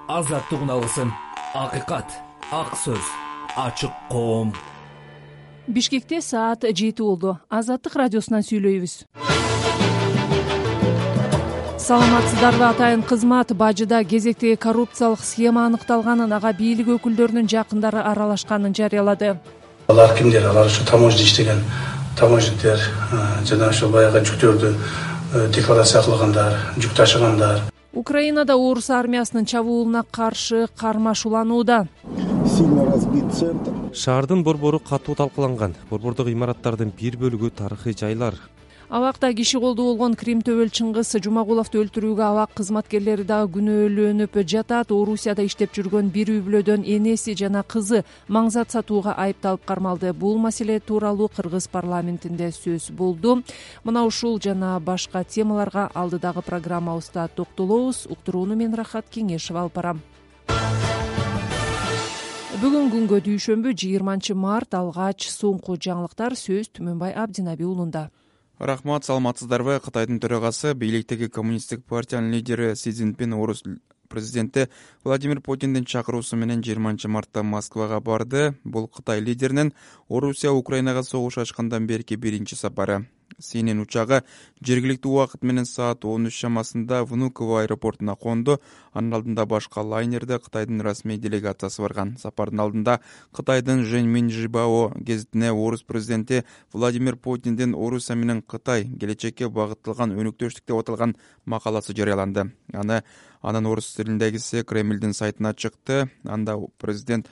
азаттык үналысын, акыйкат, ак сөз, ачык коом. Бишкекте саат 7 болду. Азаттык радиосунан сүйлөйбүз. Саламатсыздарбы, атайын кызмат бажыда кезектеги коррупциялык схема аныкталганын, ага бийлик өкүлдөрүнүн жакындары аралашканын жарыялады. Алар кимдер? Алар ушу таможня иштеген таможниктер жана ошо баягы жүктөрдү декларация кылгандар, жүк ташыгандар. Украинада орус армиясынын чабуулуна каршы кармаш уланууда. Сильно разбит центр. Шаардын борбору катуу талкаланган. Борбордогу имараттардын бир бөлүгү тарыхый жайлар. Абакта киши колдуу болгон Крим төбөл Чыңгыз Жумагуловду өлтүрүүгө абак кызматкерлери дагы күнөөлөнүп жатат. Орусияда иштеп жүргөн бир үй бүлөдөн энеси жана кызы маңзат сатууга айыпталып кармалды. Бул маселе тууралуу Кыргыз парламентинде сөз болду. Мына ушул жана башка темаларга алдыдагы программабызда токтолобуз. Уктурууну мен Рахат Кеңешева алып барам. Бүгүн күнгө дүйшөмбү 20 март, алгач соңку жаңылыктар сөз Түмөнбай Абдинаби уулунда. Рахмат, саламатсыздарбы. Кытайдын төрагасы, бийликтеги коммунисттик партиянын лидери Си Цзиньпин орус президенти Владимир Путиндин чакыруусу менен 20 мартта Москвага барды. Бул Кытай лидеринин Орусия Украинага согуш ачкандан берки биринчи сапары. Синин учагы жергиликтүү убакыт менен саат 13 чамасында Внуково аэропортуна конду. Анын алдында башка лайнерде Кытайдын расмий делегациясы барган. Сапардын алдында Кытайдын Жэньминжибао гезитине орус президенти Владимир Путиндин Орусия менен Кытай келечекке багытталган өнүктөштүк деп аталган макаласы жарыяланды. Анын орус тилиндегиси Кремлдин сайтына чыкты. Анда президент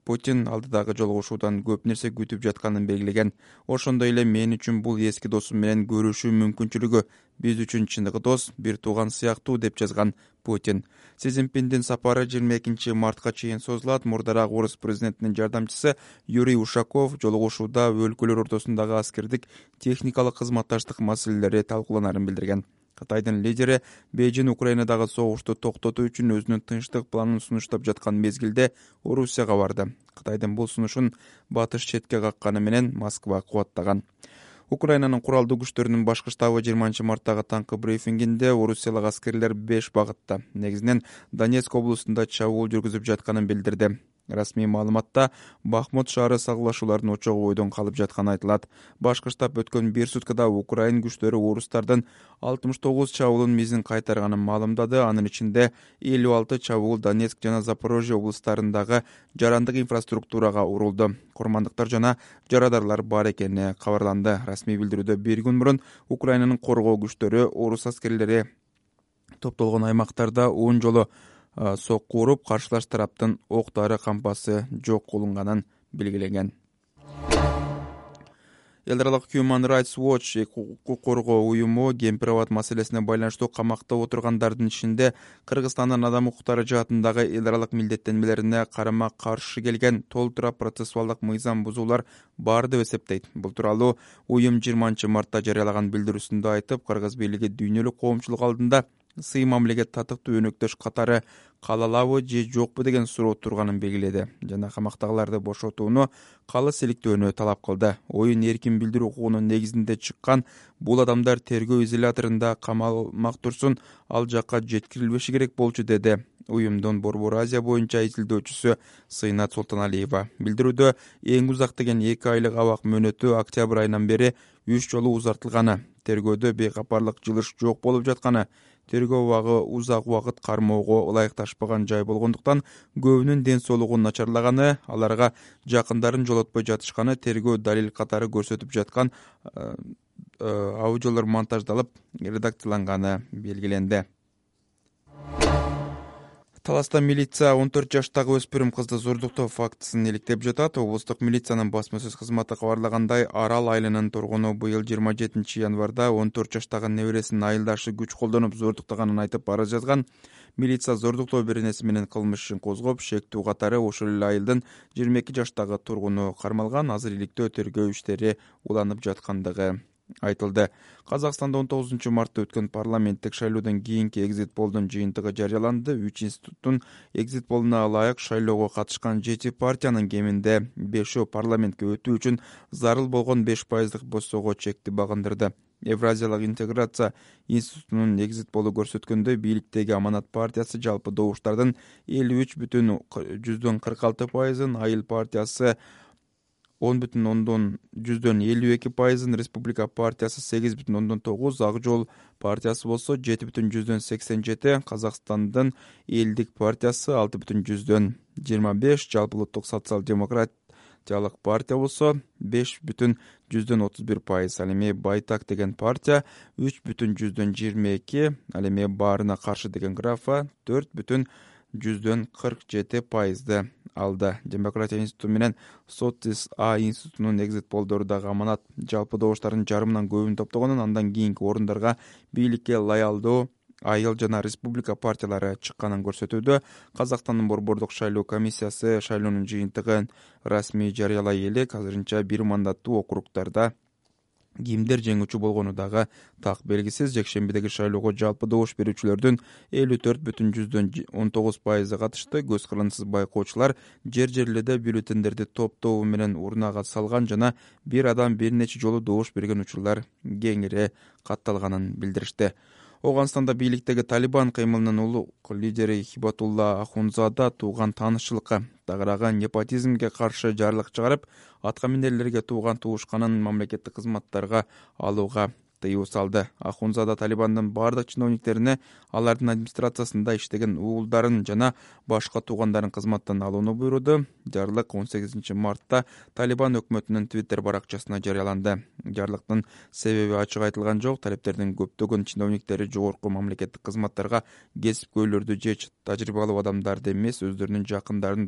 Путин алдыдагы жолугушуудан көп нерсе күтүп жатканын белгилеген. Ошондой эле мен үчүн бул эски досум менен көрүшүү мүмкүнчүлүгү, биз үчүн чыныгы дос, бир тууган сыяктуу деп жазган Путин. Си Цзиньпиндин сапары 22 мартка чейин созулат. Мурдараак орус президентинин жардамчысы Юрий Ушаков жолугушууда өлкөлөр ортосундагы аскердик техникалык кызматташтык маселелери талкууланарын билдирген. Кытайдын лидери Бейжин Украинадагы согушту токтотуу үчүн өзүнүн тынчтык планын сунуштап жаткан мезгилде Орусияга барды. Кытайдын бул сунушун батыш четке какканы менен Москва кубаттаган. Украинанын куралдуу күчтөрүнүн башкы штабы 20 марттагы таңкы брифингинде орусиялык аскерлер 5 багытта, негизинен Донецк облустунда чабуул жүргүзүп жатканын билдирди. Расмий маалыматта Бахмут шаары сагылашуулардын очогу бойдон калып жатканы айтылат. Башкы штаб өткөн бир суткада Украин күчтөрү орустардын 69 чабуулун мизин кайтарганын маалымдады. Анын ичинде 56 чабуул Донецк жана Запорожье облустарындагы жарандык инфраструктурага урулду. Курмандыктар жана жарадарлар бар экени кабарланды. Расмий билдирүүдө бир күн мурун Украинанын коргоо күчтөрү орус аскерлери топтолгон аймактарда 10 жолу сокку уруп, каршылаш тараптын ок-дары кампасы жок кылынганын белгилеген. Эл аралык Human Rights Watch укук коргоо уюму кемпир-абад маселесине байланыштуу камакта отургандардын ичинде Кыргызстандын адам укуктары жаатындагы эл аралык милдеттенмелерине карама-каршы келген толтура процессуалдык мыйзам бузуулар бар деп эсептейт. Бул тууралуу уюм 20 мартта жарыялаган билдирүүсүндө айтып, Кыргыз бийлиги дүйнөлүк коомчулук алдында сый мамилеге татыктуу өнөктөш катары кала алабы же жокпу деген суроо турганын белгиледи жана камактагыларды бошотууну калыс иликтөөнү талап кылды. Оюн эркин билдирүү укугунун негизинде чыккан бул адамдар тергөө изоляторунда камалмак турсун, ал жакка жеткирилбеши керек болчу, деди уюмдун Борбор Азия боюнча изилдөөчүсү Сыйнат Султаналиева. Билдирүүдө эң узак деген 2 айлык абак мөөнөтү октябрь айынан бери 3 жолу узартылганы, тергөөдө бейкапарлык жылыш жок болуп жатканы, тергөө убагы узак убакыт кармоого ылайыкташпаган жай болгондуктан көбүнүн ден соолугу начарлаганы, аларга жакындарын жолотпой жатышканы, тергөө далил катары көрсөтүп жаткан аудиолор монтаждалып, редакцияланганы белгиленди. Таласта милиция 14 жаштагы өспүрүм кызды зордуктоо фактысын иликтеп жатат. Облустук милициянын басма-сөз кызматы кабарлагандай, Арал айылынын тургуну быйыл 27 январда 14 жаштагы небересинин айылдашы күч колдонуп зордуктаганын айтып арыз жазган. Милиция зордуктоо беренеси менен кылмыш ишин козгоп, шектүү катары ошол эле айылдын 22 жаштагы тургуну кармалган. Азыр иликтөө тергөө иштери уланып жаткандыгы айтылды. Казакстанда 19 мартта өткөн парламенттик шайлоодон кийинки экзит полдун жыйынтыгы жарыяланды. 3 институттун экзит полуна ылайык шайлоого катышкан 7 партиянын кеминде 5 парламентке өтүү үчүн зарыл болгон 5% боссоого чекти багындырды. Евразиялык интеграция институтунун экзит полу көрсөткөндөй, бийликтеги Аманат партиясы жалпы добуштардын 53,46%, Айыл партиясы 10,52%, Республика партиясы 8,9%, Ак жол партиясы болсо 7,87%, Казакстандын Элдик партиясы 6,25%, Жалпы улуттук социал-демократиялык партия болсо 5,31%, ал эми Байтак деген партия 3,22%, ал эми Баарына каршы деген графа 4,47% алды. Демократия институту менен Сотис А институтунун экзит полдору дагы Аманат жалпы добуштардын жарымынан көбүн топтогонун, андан кийинки орундарга бийликке лоялдуу Айыл жана Республика партиялары чыкканын көрсөтүүдө. Казакстандын борбордук шайлоо комиссиясы шайлоонун жыйынтыгын расмий жарыялай элек азырынча бир мандаттуу округдарда кимдер жеңүүчү болгону дагы так белгисиз. Жекшембидеги шайлоого жалпы добуш берүүчүлөрдүн 54,19% катышты. Көз кырынсыз байкоочулар жер-жерлерде бюллетендерди топтоо менен урнага салган жана бир адам бир нече жолу добуш берген учурлар кеңири катталганын билдиришти. Оганстанда бийликтеги Талибан кыймылынын улук лидери Хибатулла Ахунзада тууган таанышчылыкка тагырааган непотизмге каршы жарлык чыгарып, аткаминерлерге тууган туушканын мамлекеттик кызматтарга алууга тыюу салды. Ахунзада Талибандын бардык чиновниктерине алардын администрациясында иштеген уулдарын жана башка туугандарын кызматтан алууну буйруду. Жарлык 18-мартта Талибан өкмөтүнүн Twitter баракчасына жарыяланды. Жарлыктын себеби ачык айтылган жок. Талептердин көптөгөн чиновниктери жогорку мамлекеттик кызматтарга кесипкөйлөрдү же тажрыйбалуу адамдарды эмес, өздөрүнүн жакындарын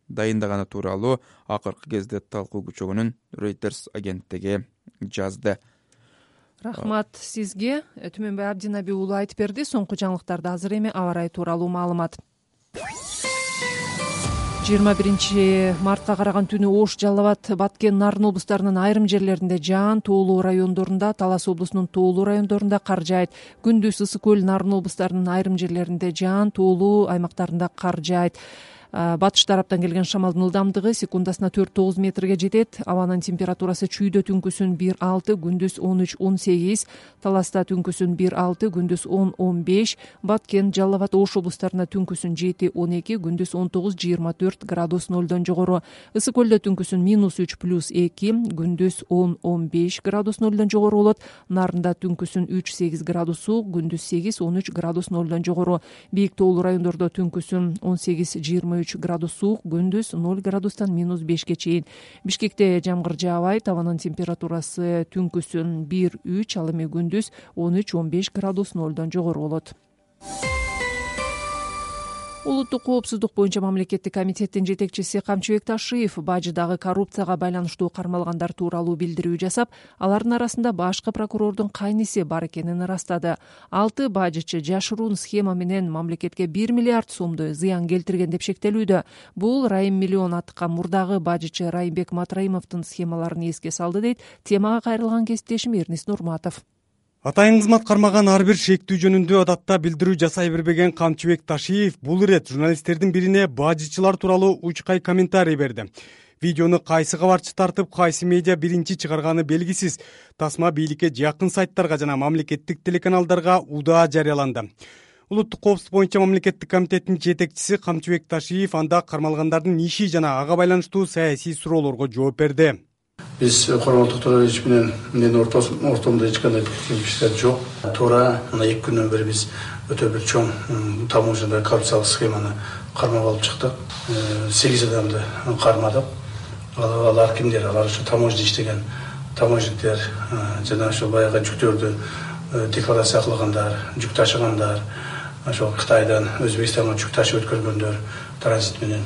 дайындаганы тууралуу акыркы кезде талкуу күчөгөнүн Reuters агенттиги жазды. Рахмат сизге. Түмөнбай Абдинаби уулу айтып берди. Соңку жаңылыктарды азыр эми аба ырайы тууралуу маалымат. 21-мартка караган түнү Ош, Жалал Абад, Баткен, Нарын облустарынын айрым жерлеринде жаан, Тоолуу райондорунда, Талас облусунун Тоолуу райондорунда кар жаайт. Күндүз Ысык көл, Нарын облустарынын айрым жерлеринде жаан, Тоолуу аймактарында кар жаайт. Батыш тараптан келген шамалдын ылдамдыгы секундасына 4-9 метрге жетет. Абанын температурасы чүйдө түнкүсүн 1-6, күндүз 13-18, Таласта түнкүсүн 1-6, күндүз 10-15, Баткен, Жалал Абад, Ош облустарында түнкүсүн 7-12, күндүз 19-24 градус нолдон жогору. Ысык көлдө түнкүсүн -3 + 2, күндүз 10-15 градус нолдон жогору болот. Нарында түнкүсүн 3-8 градус суук, күндүз 8-13 градус нолдон жогору. Бийик тоолуу райондордо түнкүсүн 18-23 градус суук, күндүз 0 градустан -5ке чейин. Бишкекте жамгыр жаабайт. Абанын температурасы түнкүсүн 1-3, ал эми күндүз 13-15 градус нолдон жогору болот. Улуттук коопсуздук боюнча мамлекеттик комитеттин жетекчиси Камчыбек Ташиев бажыдагы коррупцияга байланыштуу кармалгандар тууралуу билдирүү жасап, алардын арасында башкы прокурордун кайниси бар экенин ырастады. 6 бажычы жашыруун схема менен мамлекетке 1 миллиард сомду зыян келтирген деп шектелүүдө. Бул Райым миллион аткан мурдагы бажычы Райымбек Матраимовдун схемаларын эске салды, дейт темага кайрылган кесиптешим Эрнис Нурматов. Атайын кызмат кармаган ар бир шектүү жөнүндө адатта билдирүү жасай бербеген Камчыбек Ташиев бул ирет журналисттердин бирине бажычылар тууралуу учкай комментарий берди. Видеону кайсы кабарчы тартып, кайсы медиа биринчи чыгарганы белгисиз. Тасма бийликке жакын сайттарга жана мамлекеттик телеканалдарга удаа жарыяланды. Улуттук коопсуздук боюнча мамлекеттик комитеттин жетекчиси Камчыбек Ташиев анда кармалгандардын иши жана ага байланыштуу саясий суроолорго жооп берди. Биз Курманбек Тоолович менен менин ортомдо эч кандай келишимдер жок. Туура мына 2 күндөн бери биз өтө бир чоң таможняда коррупциялык схеманы кармап алып чыктык. 8 адамды кармадык. Алар кимдер? Алар ушу таможняда иштеген таможниктер жана ошо баягы жүктөрдү декларация кылгандар, жүк ташыгандар, ошо Кытайдан Өзбекстанга жүк ташып өткөргөндөр транзит менен.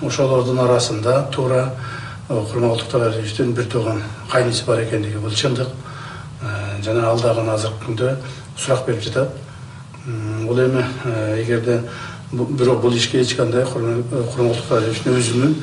Ошолордун арасында туура Курманбек Тооловичтин бир тууган кайниси бар экендиги бул чындык. Жана алдагы азыркы күндө сурак берип жатат. Бул эми эгерде бирок бул ишке эч кандай Курманбек Тооловичтин өзүнүн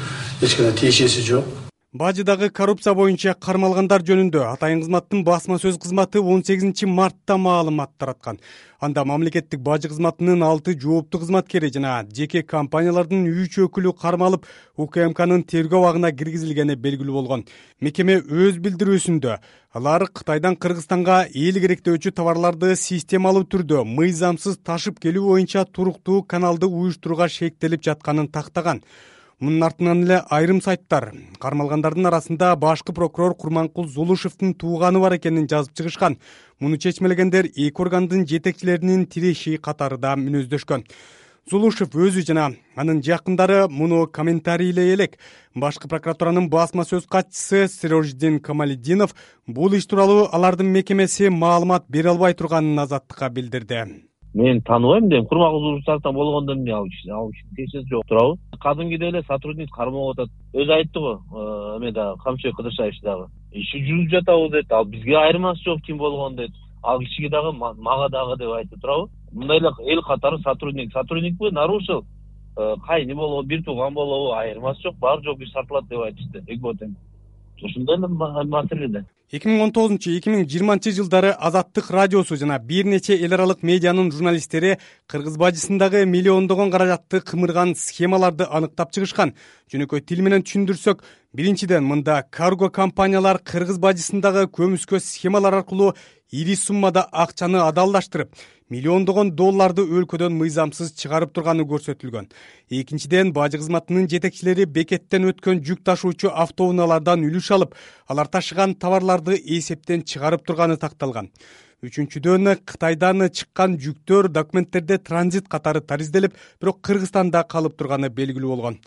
эч кандай тиешеси жок. Бажыдагы коррупция боюнча кармалгандар жөнүндө Атайын кызматтын басма сөз кызматы 18 мартта маалымат тараткан. Анда мамлекеттик бажы кызматынын 6 жооптуу кызматкери жана жеке компаниялардын 3 өкүлү кармалып, УКМКнын тергөө абагына киргизилгени белгилүү болгон. Мекеме өз билдирүүсүндө алар Кытайдан Кыргызстанга эл керектөөчү товарларды системалуу түрдө мыйзамсыз ташып келүү боюнча туруктуу каналды уюштурууга шектелип жатканын тактаган. Мунун артынан эле айрым сайттар кармалгандардын арасында башкы прокурор Курманкул Зулушевдин тууганы бар экенин жазып чыгышкан. Муну чечмелегендер эки органдын жетекчилеринин тиреши катарында мүнөздөшкөн. Зулушев өзү жана анын жакындары муну комментарийлей элек. Башкы прокуратуранын басма сөз катчысы Сирождин Камалиддинов бул иш тууралуу алардын мекемеси маалымат бере албай турганын Азаттыкка билдирди. Мен тааныбайм дейм, Курманкул Зулушевден болгондон ал ишин кечеси жок турабы. Кадимгидей эле сотрудник кармалып атат. Өзү айтты го, эме дагы Камчыбек Кыдыршаевич дагы. Иши жүрүп жатабы дейт. Ал бизге айырмасы жок ким болгон дейт. Ал кишиге дагы мага дагы деп айтты турабы. Мындай эле эл катары сотрудникпи, нарушил, кайны болобу, бир тууган болобу, айырмасы жок, баары жооп тартылат деп айтышты. Экботен. Ушундай эле маселеде. 2019-2020 жылдары Азаттык радиосу жана бир нече эл аралык медианын журналисттери кыргыз бажысындагы миллиондогон каражатты кымырган схемаларды аныктап чыгышкан. Жөнөкөй тил менен түшүндүрсөк, биринчиден мында карго компаниялар кыргыз бажысындагы көмүскө схемалар аркылуу ири суммада акчаны адалдаштырып, миллиондогон долларды өлкөдөн мыйзамсыз чыгарып турганы көрсөтүлгөн. Экинчиден, бажы кызматынын жетекчилери бекеттен өткөн жүк ташуучу автоунаалардан үлүш алып, алар ташыган товарларды эсептен чыгарып турганы такталган. Үчүнчүдөн, Кытайдан чыккан жүктөр документтерде транзит катары таризделип, бирок Кыргызстанда калып турганы белгилүү болгон.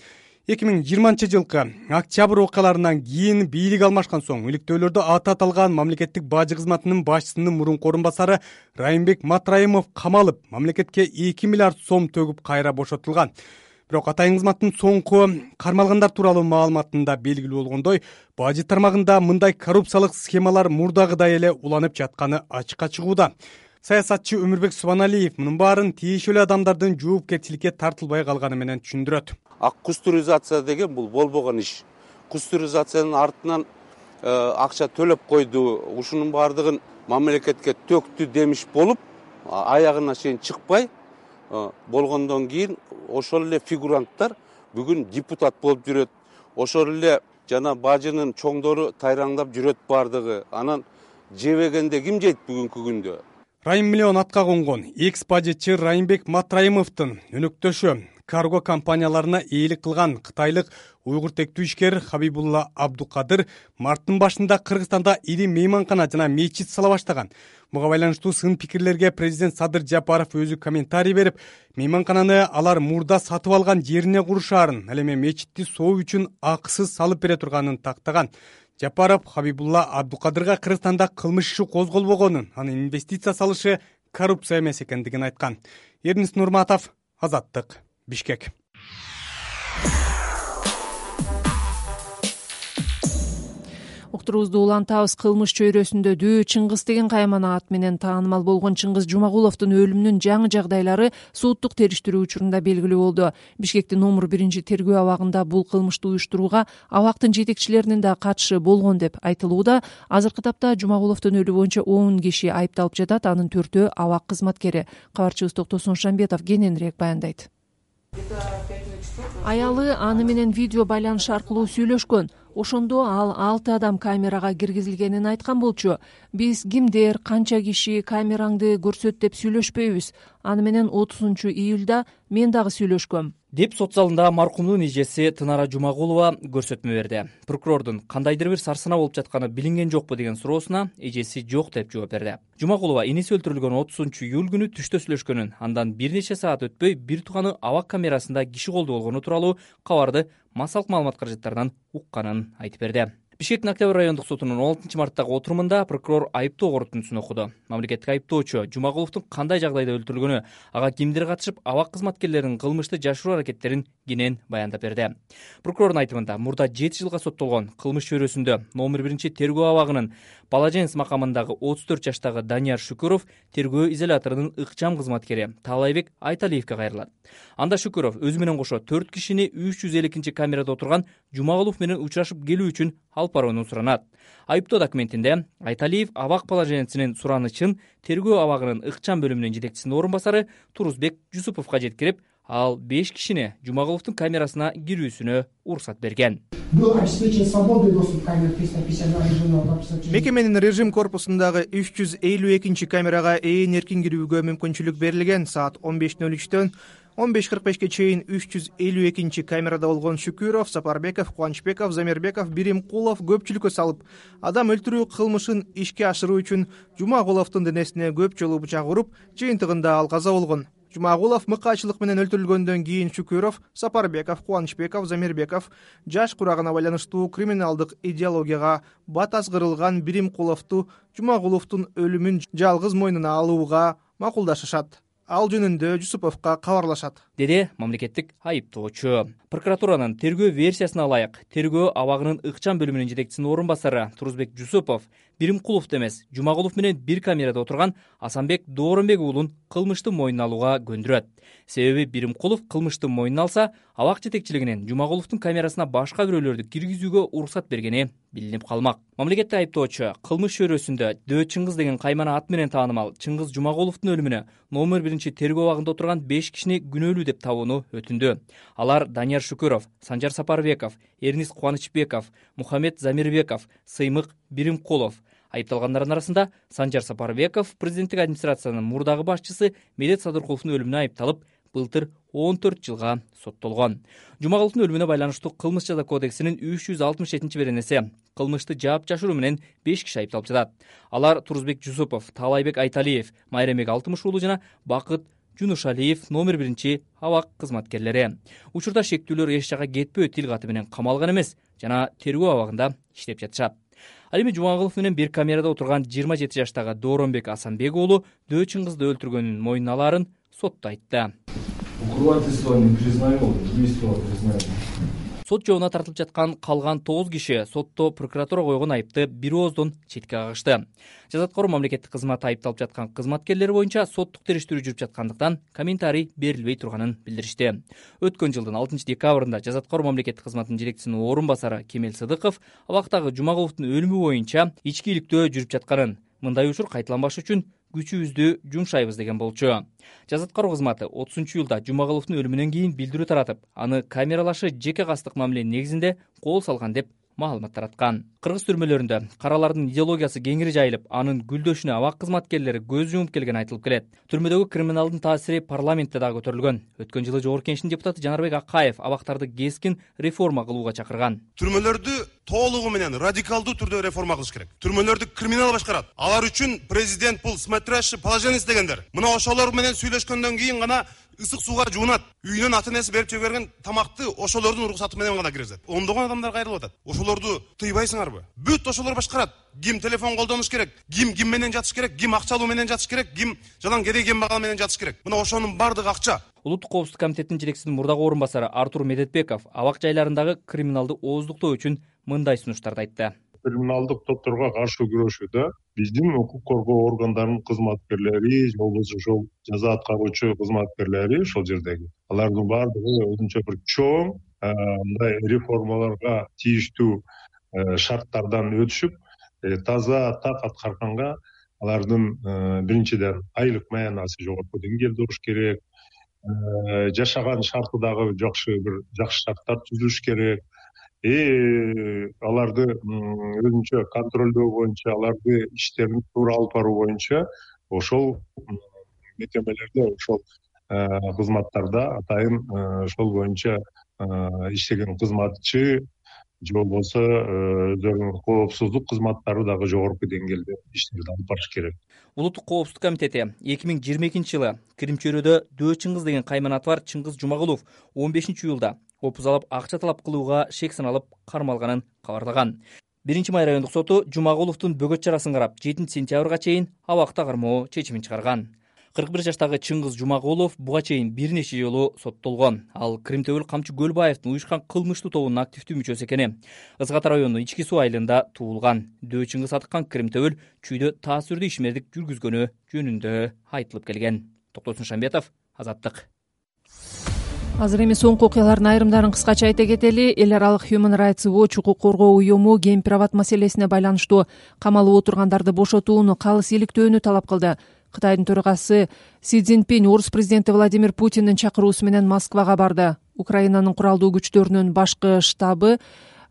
2020 жылкы октябрь окуяларынан кийин бийлик алмашкан соң иликтөөлөрдө аты аталган мамлекеттик бажы кызматынын башчысынын мурунку орун басары Райымбек Матраимов камалып, мамлекетке 2 миллиард сом төгүп кайра бошотулган. Бирок Атайын кызматтын соңку кармалгандар тууралуу маалыматында белгилүү болгондой, бажы тармагында мындай коррупциялык схемалар мурдагыдай эле уланып жатканы ачыкка чыгууда. Саясатчы Өмүрбек Субаналиев мунун баарын тиешелүү адамдардын жоопкерчиликке тартылбай калганы менен түшүндүрөт. Кустуризация деген бул болбогон иш. Кустуризациянын артынан акча төлөп койду. Ушунун баардыгын мамлекетке төктү демиш болуп, аягына чейин чыкпай болгондон кийин ошол эле фигуранттар бүгүн депутат болуп жүрөт. Ошол эле жана бажынын чоңдору тайраңдап жүрөт баардыгы. Анан жебегенде ким жейт бүгүнкү күндө? Райым миллион атка конгон экс-бажычы Райымбек Матраимовдун өнөктөшү карго компанияларына ээлик кылган кытайлык уйгур тектүү ишкер Хабибулла Абдукадыр марттын башында Кыргызстанда ири мейманкана жана мечит сала баштаган. Буга байланыштуу сын пикирлерге президент Садыр Жапаров өзү комментарий берип, мейманкананы алар мурда сатып алган жерине курушаарын, ал эми мечитти соо үчүн акысыз салып бере турганын тактаган. Жапаров Хабибулла Абдукадырга Кыргызстанда кылмыш иши козголбогонун, анын инвестиция салышы коррупция эмес экендигин айткан. Эрнис Нурматов, Азаттык, Бишкек. Уктуруубузду улантабыз. Кылмыш чөйрөсүндө Дөө Чыңгыз деген каймана ат менен таанымал болгон Чыңгыз Жумагуловдун өлүмүнүн жаңы жагдайлары соттук териштирүү учурунда белгилүү болду. Бишкектин номер 1 тергөө абагында бул кылмышты уюштурууга абактын жетекчилеринин да катышы болгон деп айтылууда. Азыркы тапта Жумагуловдун өлүмү боюнча 10 киши айыпталып жатат. Анын 4-өө абак кызматкери. Кабарчыбыз Токтосун Шамбетов кененирээк баяндайт. Аялы аны менен видео байланыш аркылуу сүйлөшкөн. Ошондо ал 6 адам камерага киргизилгенин айткан болчу. Биз кимдер, канча киши камераңды көрсөт деп сүйлөшпөйбүз. Аны менен 30 июлда мен дагы сүйлөшкөм деп сот залында маркумдун эжеси Тынара Жумагулова көрсөтмө берди. Прокурордун кандайдыр бир сарсына болуп жатканы билинген жокпу деген суроосуна эжеси жок деп жооп берди. Жумагулова иниси өлтүрүлгөн 30 июль күнү түштө сүйлөшкөнүн, андан бир нече саат өтпөй бир тууганы абак камерасында киши колду болгону тууралуу кабарды массалык маалымат каражаттарынан укканын айтып берди. Бишкектин Октябрь райондук сотунун 16-марттагы отурумунда прокурор айыптоо корутундусун окуду. Мамлекеттик айыптоочу Жумагуловдун кандай жагдайда өлтүрүлгөнү, ага кимдир катышып, абак кызматкерлеринин кылмышты жашыруу аракеттерин кенен баяндап берди. Прокурордун айтымында мурда 7 жылга соттолгон кылмыш чөйрөсүндө номер 1 тергөө абагынын Балаженс макамындагы 34 жаштагы Данияр Шүкүров тергөө изоляторунун ыкчам кызматкери Таалайбек Айталиевке кайрылат. Анда Шүкүров өзү менен кошо 4 кишини 302 камерада отурган Жумагулов менен учурашып келүү үчүн алып барууну суранат. Айыптоо документинде Айталиев абак Балаженсинин суранычын тергөө абагынын ыкчам бөлүмүнүн жетекчисинин орун басары Турузбек Жусуповго жеткирип, ал 5 кишини Жумагуловдун камерасына кирүүсүнө уруксат берген. Мекеменин режим корпусундагы 352 камерага ээн эркин кирүүгө мүмкүнчүлүк берилген. Саат 15:03 15:45 чейин 352 камерада болгон Шүкүров, Сапарбеков, Кубанычбеков, Замирбеков, Биримкулов көпчүлүккө салып, адам өлтүрүү кылмышын ишке ашыруу үчүн Жумагуловдун денесине көп жолу бычак уруп, жыйынтыгында ал каза болгон. Жумагулов мыкаачылык менен өлтүрүлгөндөн кийин Шүкүров, Сапарбеков, Кубанычбеков, Замирбеков жаш курагына байланыштуу криминалдык идеологияга бат азгырылган Биримкуловду Жумагуловдун өлүмүн жалгыз мойнуна алууга макулдашышат. Ал жөнүндө Жусуповго кабарлашат, деди мамлекеттик айыптоочу. Прокуратуранын тергөө версиясына ылайык, тергөө абагынын ыкчам бөлүмүнүн жетекчисинин орун басары Турузбек Жусупов Биримкуловду эмес, Жумагулов менен бир камерада отурган Асанбек Дооронбек уулун кылмышты мойнуна алууга көндүрөт. Себеби Биримкулов кылмышты мойнуна алса, абак жетекчилигинин Жумагуловдун камерасына башка бирөөлөрдү киргизүүгө уруксат бергени билинип калмак. Мамлекеттик айыптоочу кылмыш чөйрөсүндө Дөө Чыңгыз деген каймана ат менен таанымал Чыңгыз Жумагуловдун өлүмүнө номер 1 тергөө абагында отурган 5 кишини күнөөлүү деп табууну өтүндү. Алар Данияр Шүкүров, Санжар Сапарбеков, Эрнис Кубанычбеков, Мухаммед Замирбеков, Сыймык Биримкулов. Айыпталгандардын арасында Санжар Сапарбеков президенттик администрациянын мурдагы башчысы Медет Садыркуловдун өлүмүнө айыпталып, былтыр 14 жылга соттолгон. Жумагуловдун өлүмүнө байланыштуу кылмыш жаза кодексинин 367-беренеси кылмышты жаап жашыруу менен 5 киши айыпталып жатат. Алар Турузбек Жусупов, Таалайбек Айталиев, Майремек Алтымыш уулу жана Бакыт Жунушалиев номер 1 абак кызматкерлери. Учурда шектүүлөр эч жакка кетпөө тил каты менен камалган эмес жана тергөө абагында иштеп жатышат. Ал эми Жумагулов менен бир камерада отурган 27 жаштагы Дооронбек Асанбек уулу Дөө Чыңгызды өлтүргөнүн мойнуна алаарын сотто айтты. Сот жообуна тартылып жаткан калган 9 киши сотто прокуратура койгон айыпты бир ооздон четке кагышты. Жазаткор мамлекеттик кызмат айыпталып жаткан кызматкерлер боюнча соттук териштирүү жүрүп жаткандыктан комментарий берилбей турганын билдиришти. Өткөн жылдын 6 декабрында жазаткор мамлекеттик кызматтын жетекчисинин орун басары Кемел Сыдыков абактагы Жумагуловдун өлүмү боюнча ичкиликтөө жүрүп жатканын, мындай учур кайталанбаш үчүн күчүбүздү жумшайбыз деген болчу. Жазаткор кызматы 30-июлда Жумагуловдун өлүмүнөн кийин билдирүү таратып, аны камералашы жеке кастык мамиле негизинде кол салган деп маалымат тараткан. Кыргыз түрмөлөрүндө каралардын идеологиясы кеңири жайылып, анын гүлдөшүнө абак кызматкерлери көз жумуп келгени айтылып келет. Түрмөдөгү криминалдын таасири парламентте дагы көтөрүлгөн. Өткөн жылы Жогорку Кеңештин депутаты Жанарбек Акаев абактарды кескин реформа кылууга чакырган. Түрмөлөрдү толугу менен радикалдуу түрдө реформа кылыш керек. Түрмөлөрдү криминал башкарат. Алар үчүн президент бул смотрящий положенец дегендер. Мына ошолор менен сүйлөшкөндөн кийин гана ысык сууга жуунат. Үйүнөн ата энеси берип жиберген тамакты ошолордун уруксаты менен гана киргизет. Ондогон адамдар кайрылып атат. Ошолорду тыйбайсыңарбы? Бүт ошолор башкарат. Ким телефон колдонуш керек, ким менен жатыш керек, ким акча алуу менен жатыш керек, ким жалаң кедей кембагал менен жатыш керек. Мына ошонун бардыгы акча. Улуттук коопсуздук комитетинин жетекчисинин мурдагы орун басары Артур Медетбеков абак жайларындагы криминалды ооздуктоо үчүн мындай сунуштарды айтты. Криминалдык топторго каршы күрөшүүдө биздин укук коргоо органдарынын кызматкерлери же болбосо ошол жаза аткаруучу кызматкерлери ошол жердеги алардын баардыгы өзүнчө бир чоң мындай реформаларга тийиштүү шарттардан өтүшүп, таза так аткарганга алардын биринчиден айлык маянасы жогорку деңгээлде болуш керек, жашаган шарты дагы жакшы шарттар түзүлүш керек. Аларды өзүнчө контролдоо боюнча, аларды иштерин туура алып баруу боюнча ошол мекемелерде, ошол кызматтарда атайын ошол боюнча иштеген кызматчы же болбосо өздөрүнүн коопсуздук кызматтары дагы жогорку деңгээлде иштерди алып барыш керек. Улуттук коопсуздук комитети 2022-жылы Крим чөйрөдө Дөө Чыңгыз деген кайманаты бар Чыңгыз Жумагулов 15-июлда опуз алып акча талап кылууга шек саналып кармалганын кабарлаган. 1-Май райондук соту Жумагуловдун бөгөт чарасын карап 7-сентябрга чейин абакта кармоо чечимин чыгарган. 41 жаштагы Чыңгыз Жумагулов буга чейин бир нече жолу соттолгон. Ал Кримтөбөл Камчы Көлбаевдин уюшкан кылмыштуу тобунун активдүү мүчөсү экени. Ызгат районунун Ички суу айылында туулган. Дөө Чыңгыз Атыккан Кримтөбөл чүйдө таасирдүү ишмердик жүргүзгөнү жөнүндө айтылып келген. Токтосун Шамбетов, Азаттык. Азыр эми соңку окуялардын айрымдарын кыскача айта кетели. Эл аралык Human Rights Watch укук коргоо уюму гейм-приват маселесине байланыштуу камалып отургандарды бошотууну, калыс иликтөөнү талап кылды. Кытайдын төрагасы Си Цзиньпин орус президенти Владимир Путиндин чакыруусу менен Москвага барды. Украинанын куралдуу күчтөрүнүн башкы штабы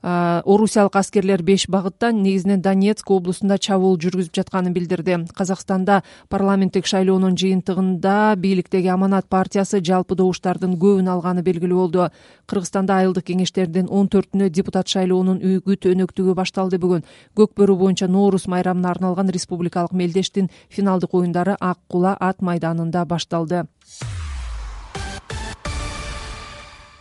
орусиялык аскерлер 5 багыттан, негизинен Донецк облусунда чабуул жүргүзүп жатканын билдирди. Казакстанда парламенттик шайлоонун жыйынтыгында бийликтеги Аманат партиясы жалпы добуштардын көбүн алганы белгилүү болду. Кыргызстанда айылдык кеңештердин 14-үнө депутат шайлоонун үгүт өнөктүгү башталды бүгүн. Көк бөрү боюнча Ноорус майрамына арналган республикалык мелдештин финалдык оюндары Ак Кула ат майданында башталды.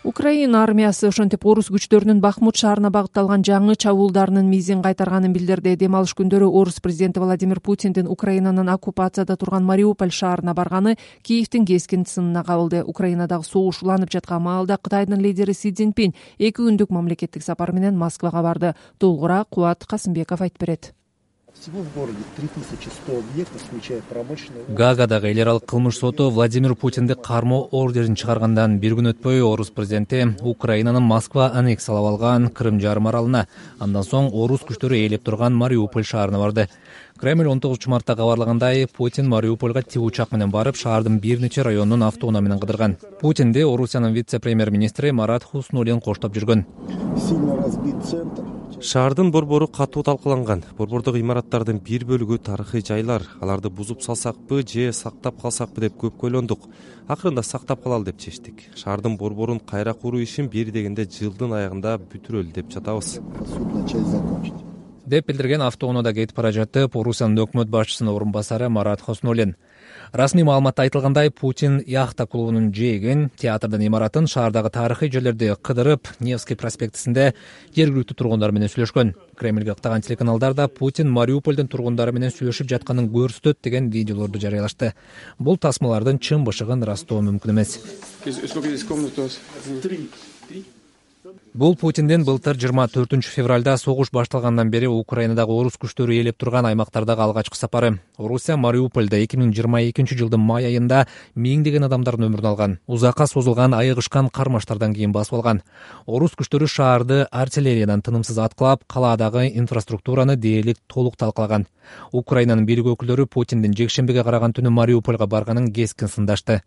Украина армиясы ошентип орус күчтөрүнүн Бахмут шаарына багытталган жаңы чабуулдарынын мизин кайтарганын билдирди. Дем алыш күндөрү орус президенти Владимир Путиндин Украинанын оккупацияда турган Мариуполь шаарына барганы Киевдин кескин сынына кабылды. Украинадагы согуш уланып жаткан маалда Кытайдын лидери Си Цзиньпин 2 күндүк мамлекеттик сапар менен Москвага барды. Толугураак Кубат Касымбеков айтып берет. Всего в городе 3100 объектов, включая промышленные. Гаагадагы эл аралык кылмыш соту Владимир Путинди кармоо ордерин чыгаргандан бир күн өтпөй орус президенти Украинанын Москва аннексиялап алган Крым жарым аралына, андан соң орус күчтөрү ээлеп турган Мариуполь шаарына барды. Кремль 19 мартта кабарлагандай, Путин Мариупольга тик учак менен барып, шаардын бир нече районун автоунаа менен кыдырган. Путинди Орусиянын вице-премьер-министри Марат Хуснуллин коштоп жүргөн. Сильно разбит центр. Шаардын борбору катуу талкууланган. Борбордогу имараттардын бир бөлүгү тарыхый жайлар. Аларды бузуп салсакпы же сактап калсакпы деп көп ойлондук. Акырында сактап калалы деп чечтик. Шаардын борборун кайра куруу ишин бери дегенде жылдын аягында бүтүрөлү деп жатабыз. Деп билдирген автоунаада кетип бара жатып Орусиянын өкмөт башчысынын орун басары Марат Хуснуллин. Расмий маалыматта айтылгандай, Путин яхта клубунун жээгин, театрдын имаратын, шаардагы тарыхый жерлерди кыдырып, Невский проспектисинде жергиликтүү тургундар менен сүйлөшкөн. Кремльге ыктаган телеканалдарда Путин Мариупольдун тургундары менен сүйлөшүп жатканын көрсөтөт деген видеолорду жарыялашты. Бул тасмалардын чын бышыгын ырастоо мүмкүн эмес. Бул Путиндин былтыр 24 февралда согуш башталгандан бери Украинадагы орус күчтөрү ээлеп турган аймактардагы алгачкы сапары. Орусия Мариупольда 2022 жылдын май айында миңдеген адамдардын өмүрүн алган. Узакка созулган айыгышкан кармаштардан кийин басып алган. Орус күчтөрү шаарды артиллериядан тынымсыз аткылап, калаадагы инфраструктураны дээрлик толук талкалаган. Украинанын бийлик өкүлдөрү Путиндин жекшембиге караган түнү Мариупольга барганын кескин сындашты.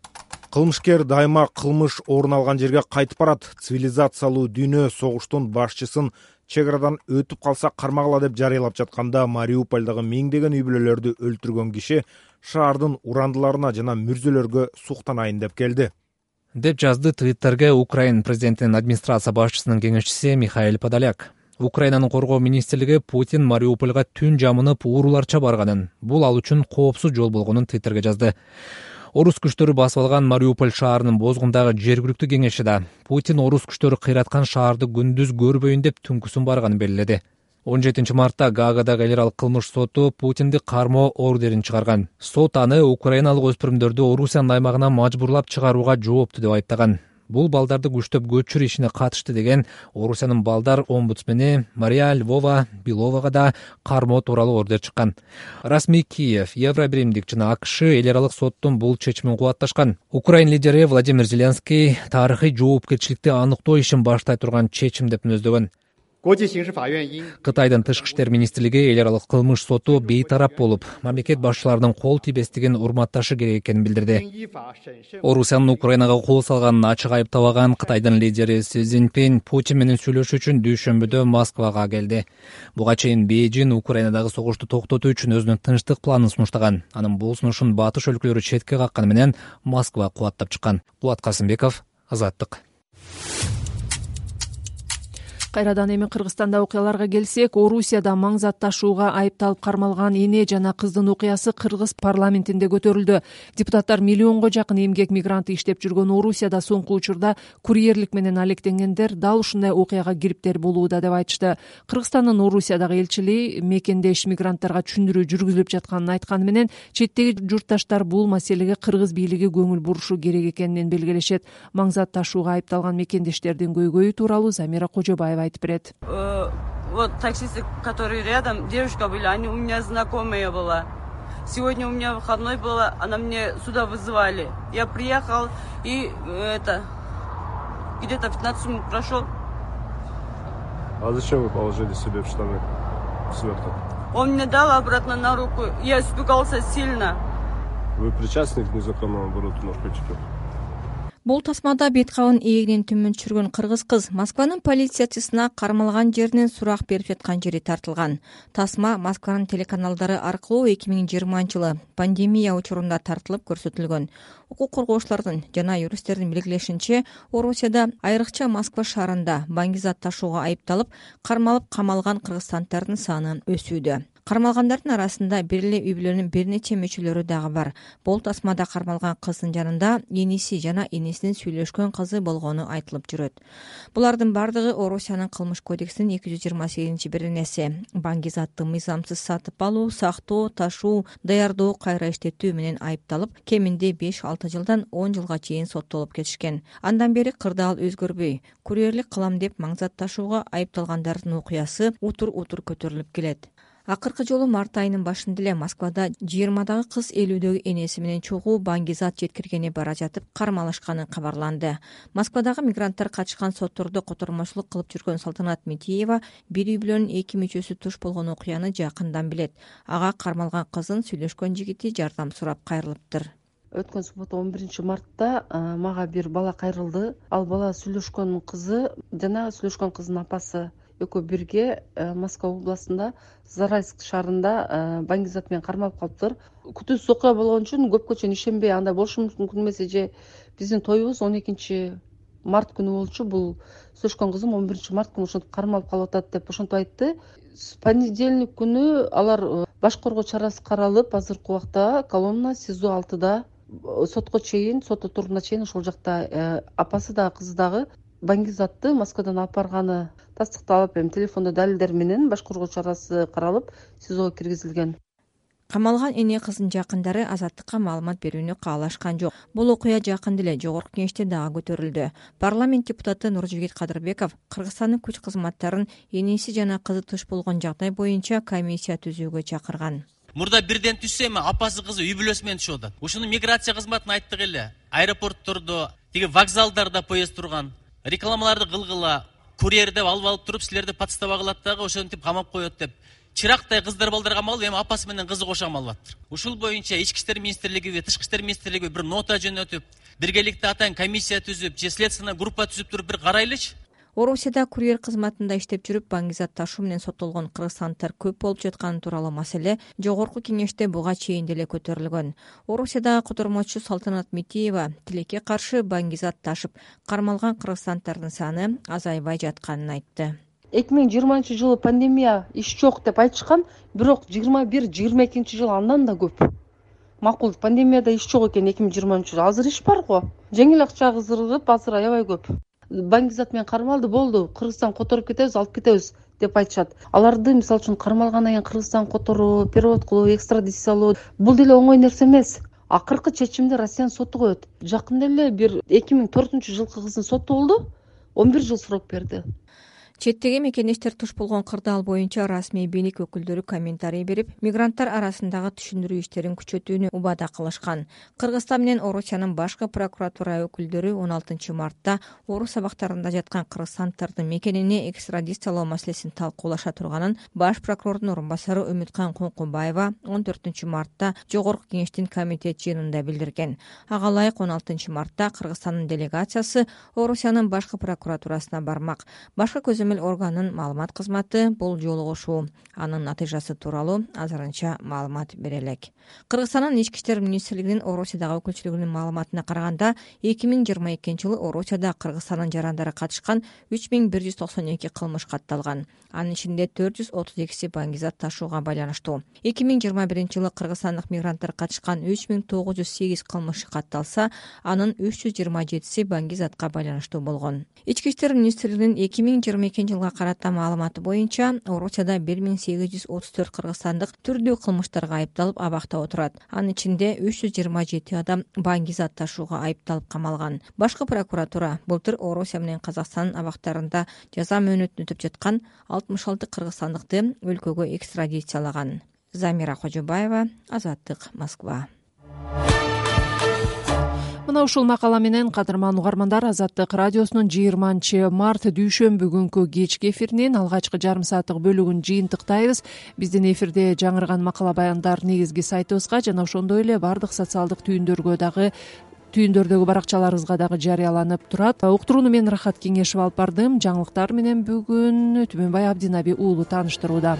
Кылмышкер дайыма кылмыш орун алган жерге кайтып барат. Цивилизациялуу дүйнө согуштун башчысын чек арадан өтүп калса кармагыла деп жарыялап жатканда Мариупольдагы миңдеген үй бүлөлөрдү өлтүргөн киши шаардын урандыларына жана мүрзөлөргө суктанайын деп келди. Деп жазды Твиттерге Украин президентинин администрация башчысынын кеңешчиси Михаил Подоляк. Украинанын коргоо министрлиги Путин Мариупольга түн жамынып ууруларча барганын, бул ал үчүн коопсуз жол болгонун Твиттерге жазды. Орус күчтөрү басып алган Мариуполь шаарынын бозгундагы жергиликтүү кеңеши да Путин орус күчтөрү кыйраткан шаарды күндүз көрбөйүн деп түнкүсүн барганын белгиледи. 17 мартта Гаагадагы эл аралык кылмыш соту Путинди кармоо ордерин чыгарган. Сот аны украиналык өспүрүмдөрдү Орусиянын аймагына мажбурлап чыгарууга жооптуу деп айыптаган. Бул балдарды күчтөп көчүрүү ишине катышты деген Орусиянын балдар омбудсмени Мария Львова Беловага да кармоо тууралуу ордер чыккан. Расмий Киев, Евробиримдик жана АКШ эл аралык соттун бул чечимин кубатташкан. Украин лидери Владимир Зеленский тарыхый жоопкерчиликти аныктоо ишин баштай турган чечим деп мүнөздөгөн. Кытайдын тышкы иштер министрлиги эл аралык кылмыш соту бейтарап болуп, мамлекет башчыларынын кол тийбестигин урматташы керек экенин билдирди. Орусиянын Украинага кол салганын ачык айыптабаган Кытайдын лидери Си Цзиньпин Путин менен сүйлөшүү үчүн дүйшөмбүдө Москвага келди. Буга чейин Бейжин Украинадагы согушту токтотуу үчүн өзүнүн тынчтык планын сунуштаган. Анын бул сунушун батыш өлкөлөрү четке какканы менен Москва кубаттап чыккан. Кубат Касымбеков, Азаттык. Кайрадан эми Кыргызстанда окуяларга келсек, Орусияда маң зат ташууга айыпталып кармалган эне жана кыздын окуясы Кыргыз парламентинде көтөрүлдү. Депутаттар миллионго жакын эмгек мигранты иштеп жүргөн Орусияда соңку учурда курьерлик менен алектенгендер дал ушундай окуяга кириптер болууда деп айтышты. Кыргызстандын Орусиядагы элчилиги мекендеш мигранттарга түшүндүрүү жүргүзүлүп жатканын айтканы менен четтеги журтташтар бул маселеге кыргыз бийлиги көңүл бурушу керек экенин белгилешет. Маң зат ташууга айыпталган мекендештердин көйгөйү тууралуу Замира Кожобаева айтып берет. Вот таксисты, которые рядом, девушка были, они у меня знакомые была. Сегодня у меня выходной было, она мне сюда вызывали. Я приехал и где-то 15 минут прошел. А зачем вы положили себе в штаны сверток? Он мне дал обратно на руку. Я испугался сильно. Вы причастны к незаконному обороту наркотиков? Бул тасмада бет кабын эгинен төмөн түшүргөн кыргыз кыз Москванын полициячысына кармалган жеринен сурак берип жаткан жери тартылган. Тасма Москванын телеканалдары аркылуу 2020-жылы пандемия учурунда тартылып көрсөтүлгөн. Укук коргоочулардын жана юристтердин белгилешинче, Орусияда айрыкча Москва шаарында маң зат ташууга айыпталып, кармалып камалган кыргызстандардын саны өсүүдө. Кармалгандардын арасында бир эле үй бүлөнүн бир нече мүчөлөрү дагы бар. Бул тасмада кармалган кыздын жанында эниси жана энесинин сүйлөшкөн кызы болгону айтылып жүрөт. Булардын бардыгы Орусиянын кылмыш кодексинин 228-беренеси маң затты мыйзамсыз сатып алуу, сактоо, ташуу, даярдоо, кайра иштетүү менен айыпталып, кеминде 5-6 жылдан 10 жылга чейин соттолуп кетишкен. Андан бери кырдаал өзгөрбөй, курьерлик кылам деп маң зат ташууга айыпталгандардын окуясы утур көтөрүлүп келет. Акыркы жолу март айынын башында эле Москвада 20-дагы кыз 50-дөгү энеси менен чогуу маң зат жеткиргени бара жатып кармалышканы кабарланды. Москвадагы мигранттар качкан соттордо котормочулук кылып жүргөн Салтанат Метиева бир үй бүлөнүн 2 мүчөсү туш болгон окуяны жакындан билет. Ага кармалган кыздын сүйлөшкөн жигити жардам сурап кайрылыптыр. Өткөн суббота 11-мартта мага бир бала кайрылды. Ал бала сүйлөшкөн кызы жана сүйлөшкөн кыздын апасы экөө бирге Москва областында Зарайск шаарында маң зат менен кармалып калыптыр. Күтүүсүз окуя болгон үчүн көпкө чейин ишенбей, андай болушу мүмкүн эмес, же биздин тоюбуз 12-март күнү болчу. Бул сүйлөшкөн кызым 11-март күнү ошентип кармалып калып атат деп ошентип айтты. Понедельник күнү алар баш коргоо чарасы каралып, азыркы убакта Коломна СИЗО 6да сотко чейин, сот отурумуна чейин ошол жакта апасы дагы кызы дагы маң затты Москвадан алып барганы тастыкталып, телефондо далилдер менен баш коргоо чарасы каралып, СИЗОго киргизилген. Камалган эне кыздын жакындары азаттыкка маалымат берүүнү каалашкан жок. Бул окуя жакында эле жогорку кеңеште дагы көтөрүлдү. Парламент депутаты Нуржигит Кадырбеков Кыргызстандын күч кызматтарын энеси жана кызы туш болгон жагдай боюнча комиссия түзүүгө чакырган. Мурда бирден түшсө эми апасы кызы үй бүлөсү менен түшүп атат. Ушуну миграция кызматына айттык эле. Аэропорттордо, тиги вокзалдарда поезд турган, рекламаларды кылгыла, курьер деп алып туруп, силерди подстава кылат дагы ошентип камап коет деп. Чырактай кыздар балдар камалып, эми апасы менен кызы кошо камалып атат. Ушул боюнча Ички иштер министрлигиби, Тышкы иштер министрлиги бир нота жөнөтүп, биргеликте атайын комиссия түзүп, же следственный группа түзүп туруп бир карайлычы. Орусияда курьер кызматында иштеп жүрүп маң зат ташуу менен соттолгон кыргызстанддар көп болуп жатканы тууралуу маселе жогорку кеңеште буга чейин деле көтөрүлгөн. Орусиядагы котормочу Салтанат Метиева тилекке каршы маң зат ташып кармалган кыргызстанддардын саны азайбай жатканын айтты. 2020-жылы пандемия иш жок деп айтышкан, бирок 21-22-жылы андан да көп. Макул, пандемияда иш жок экен 2020-жылы. Азыр иш бар го. Жеңил акча кыздырып, азыр аябай көп. Маң зат менен кармалды, болду, Кыргызстан которуп кетебиз, алып кетебиз деп айтышат. Аларды мисалы үчүн кармалгандан кийин Кыргызстан которуу, перевод кылуу, экстрадициялоо бул деле оңой нерсе эмес. Акыркы чечимди Россиянын соту коет. Жакында эле бир 2004-жылкы кыздын соту болду, 11 жыл срок берди. Четтеги мекендештер туш болгон кырдаал боюнча расмий бийлик өкүлдөрү комментарий берип, мигранттар арасындагы түшүндүрүү иштерин күчөтүүнү убада кылышкан. Кыргызстан менен Орусиянын башкы прокуратура өкүлдөрү 16-мартта Орус абактарында жаткан кыргызстанддардын мекенине экстрадициялоо маселесин талкуулаша турганын баш прокурордун орун басары Үмүткан Коңкубаева 14-мартта жогорку кеңештин комитет жыйынында билдирген. Ага ылайык 16-мартта Кыргызстандын делегациясы Орусиянын башкы прокуратурасына бармак. Башкы көзөмөл мамиле органынын маалымат кызматы бул жолугушуу анын натыйжасы тууралуу азырынча маалымат бере элек. Кыргызстандын ички иштер министрлигинин Орусиядагы өкүлчүлүгүнүн маалыматына караганда 2022-жылы Орусияда Кыргызстандын жарандары катышкан 3192 кылмыш катталган. Анын ичинде 432си баңгизат ташууга байланыштуу. 2021-жылы кыргызстандык мигранттар катышкан 3908 кылмыш катталса, анын 327си баңгизатка байланыштуу болгон. Ички иштер министрлигинин 2022-жылга карата маалыматы боюнча, Орусияда 1834 кыргызстандык түрдүү кылмыштарга айыпталып абакта отурат. Анын ичинде 327 адам баңгизат ташууга айыпталып камалган. Башкы прокуратура былтыр Орусия менен Казакстандын абактарында жаза мөөнөтүн өтөп жаткан 66 кыргызстандыкты өлкөгө экстрадициялаган. Замира Кожобаева, Азаттык, Москва. Мына ушул макала менен кадырман угармандар, Азаттык радиосунун 20-март дүйшөмбү күнкү кечки эфиринин алгачкы жарым сааттык бөлүгүн жыйынтыктайбыз. Биздин эфирде жаңырган макала баяндар негизги сайтыбызга жана ошондой эле бардык социалдык түйүндөрдөгү баракчаларыбызга дагы жарыяланып турат. Уктурууну мен Рахат Кеңешев алып бардым. Жаңылыктар менен бүгүн Түмөнбай Абдинаби уулу тааныштырууда.